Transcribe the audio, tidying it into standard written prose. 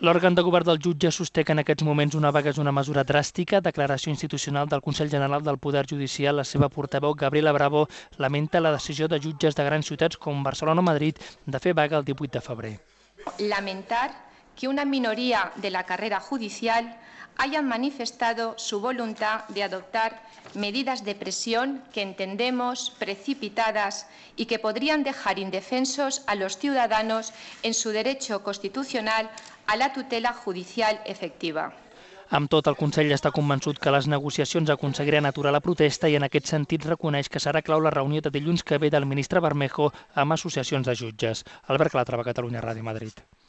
L'òrgan de govern dels jutges sosté que en aquests moments una vaga és una mesura dràstica. Declaració institucional del Consell General del Poder Judicial. La seva portaveu, Gabriela Bravo, lamenta la decisió de jutges de grans ciutats com Barcelona o Madrid de fer vaga el 18 de febrer. Lamentar que una minoría de la carrera judicial hayan manifestado su voluntad de adoptar medidas de presión que entendemos precipitadas y que podrían dejar indefensos a los ciudadanos en su derecho constitucional a la tutela judicial efectiva. Amb tot, el Consell està convençut que les negociacions aconseguiran aturar la protesta i en aquest sentit reconeix que serà clau la reunió de dilluns que ve del ministre Bermejo amb associacions de jutges. Albert Clatrava, Catalunya Ràdio, Madrid.